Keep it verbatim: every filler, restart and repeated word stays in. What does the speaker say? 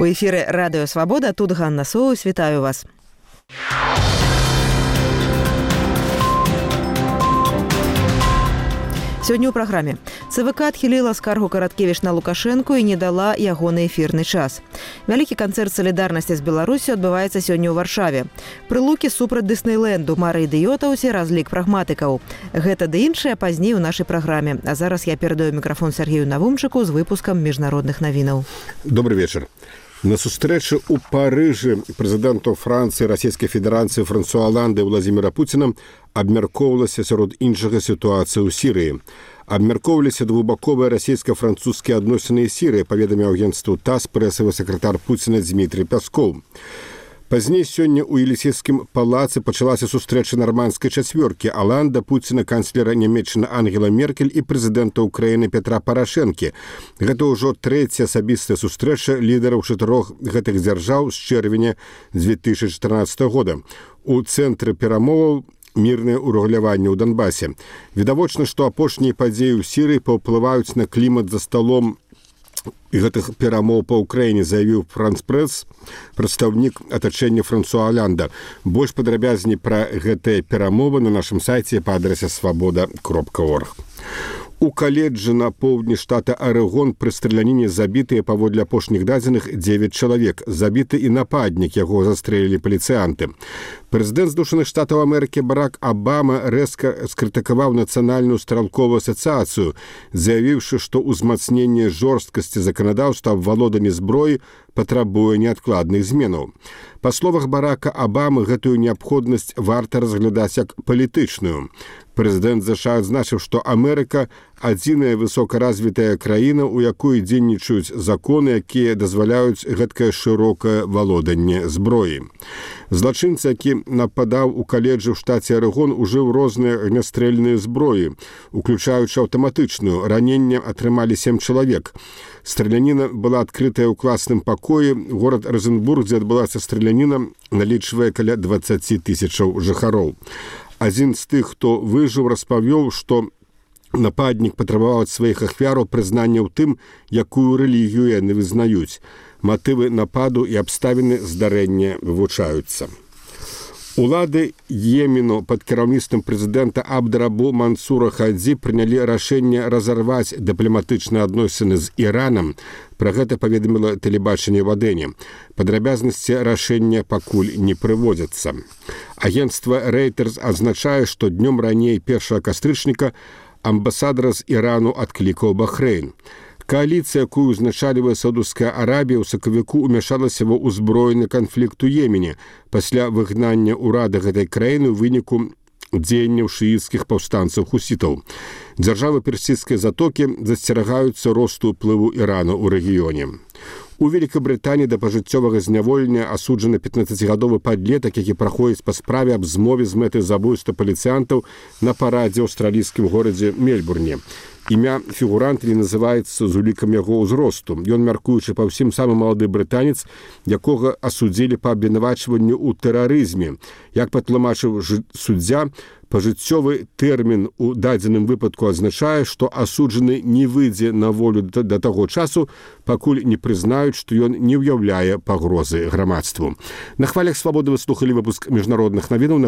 У эфіры Радыё Свабода, тут Ганна Соус, вітаю вас. Сёння ў праграме. ЦВК адхіліла скаргу Караткевіч на Лукашэнку і не дала ягоны эфірны час. Вялікі канцэрт салідарнасці з Беларусю адбываецца сёння ў Варшаве. Прылукі супраць Дыснейленду, мары ідыётаўсе, разлік прагматыкаў. Гэта ды іншае пазней у нашай праграме. А зараз я перадаю мікрафон Сергею Навумчыку з выпускам міжнародных навінаў. Добрый вечар. На сустрэчы ў Парыжы прэзідэнтаў Францыі, Расійскай Федэрацыі Франсуа Аланды і Владзіміра Пуціна абмяркоўвалася сярод іншага сітуацыі ў Сірыі. Абмяркоўваліся двухбаковыя расійска-французскія адносіны з Сірыі, паведаміў агенцтву ТАСС прэсавы сакратар Пуціна Дмітрий Пяскоў. Пазней сёння ў Елісейскім палацы пачалася сустрэча нармандскай чацвёркі Аланда, Пуціна, канцлера Нямецчыны Ангела Меркель і прэзідэнта Ўкраіны Петра Парашэнкі. Гэта ўжо трэцяя асабістая сустрэча лідараў чатырох гэтых дзяржаў з чэрвеня дзве тысячы чатырнаццатага года. У цэнтры перамоваў мірнае ўрэгуляванне ў Донбасе. Відавочна, што апошнія падзеі ў Сірыі паўплываюць на клімат за сталом і гэтых перамоў па Ўкраіне, заявіў Франс-прэс, прадстаўнік атачэння Франсуа Аланда. Больш падрабязней пра гэтыя перамовы на нашым сайце па адрэсе свабода кропка орг. У каледжы на поўдні штата Арэгон пры страляніне забітыя паводле апошніх дадзеных дзевяць чалавек. Забіты і нападнік, яго застрэлілі паліцыянты. Прэзідэнт Злучаных Штатаў Амерыкі Барак Абама рэзка скрытыкаваў нацыянальную стралковую асацыяцыю, заявіўшы, што ўзмацненне жорсткасці заканадаўства аб валоданні зброі патрабуе неадкладных зменаў. Па словах Барака Абамы, гэтую неабходнасць варта разглядаць як палітычную. Прэзідэнт ЗША адзначыў, што Амерыка адзіная высокаразвітая краіна, у якой дзейнічаюць законы, якія дазваляюць гэткае шырокае валоданне зброі. Злачынца, які нападаў у каледжы ў штаце Арэгон, ужыў розныя агнястрэльныя зброі, уключаючы аўтаматычную. Раненне атрымалі сем чалавек. Страляніна была адкрытая ў класным пакоі. Горад Розенбург, дзе адбылася страляніна, налічвае каля дваццаць тысячаў жыхароў. Адзін з тых, хто выжыў, распавёў, што нападнік патрабаваў ад сваіх ахвяраў прызнання ў тым, якую рэлігію яны вызнаюць. Матывы нападу і абставіны здарэння вывучаюцца. Улады Йемену пад кіраўніцтвам прэзідэнта Абдрабу Мансура Хадзі прынялі рашэнне разарваць дыпламатычныя адносіны з Іранам. Пра гэта паведаміла тэлебачанне ў Адэне. Падрабязнасці рашэння пакуль не прыводзяцца. Агенцтва Reuters адзначае, што днём раней першага кастрычніка амбасадара з Ірану адклікаў Бахрэйн. Коаліцыя, якую узначальвае Саудаўская Арабія, у сакавіку ўмяшалася ва ўзброены канфлікт у Йемене пасля выгнання ўрада гэтай краіны ў выніку дзеянняў шыіцкіх паўстанцаў хусітаў. Дзяржавы персідскай затокі засцерагаюцца росту ўплыву Ірана ў рэгіёне. У Великабрытаніі да пажыццёвага зняволення асуджаны пятнаццацігадовы падлетак, які праходзіць па справе аб змове з мэтай забойства паліцыянтаў на парадзе ў аўстралійскім горадзе Мельбурне. Імя фігуранта не называецца з улікам яго ўзросту. Ён, мяркуючы па ўсім, самы малады брытанец, якога асудзілі па абвінавачванню ў тэрарызме. Як патлумачыў суддзя, пажыццёвы тэрмін у дадзеным выпадку азначае, што асуджаны не выйдзе на волю да таго часу, пакуль не прызнаюць, што ён не ўяўляе пагрозы грамадству. На хвалях свабоды вы слухалі выпуск міжнародных навінаў.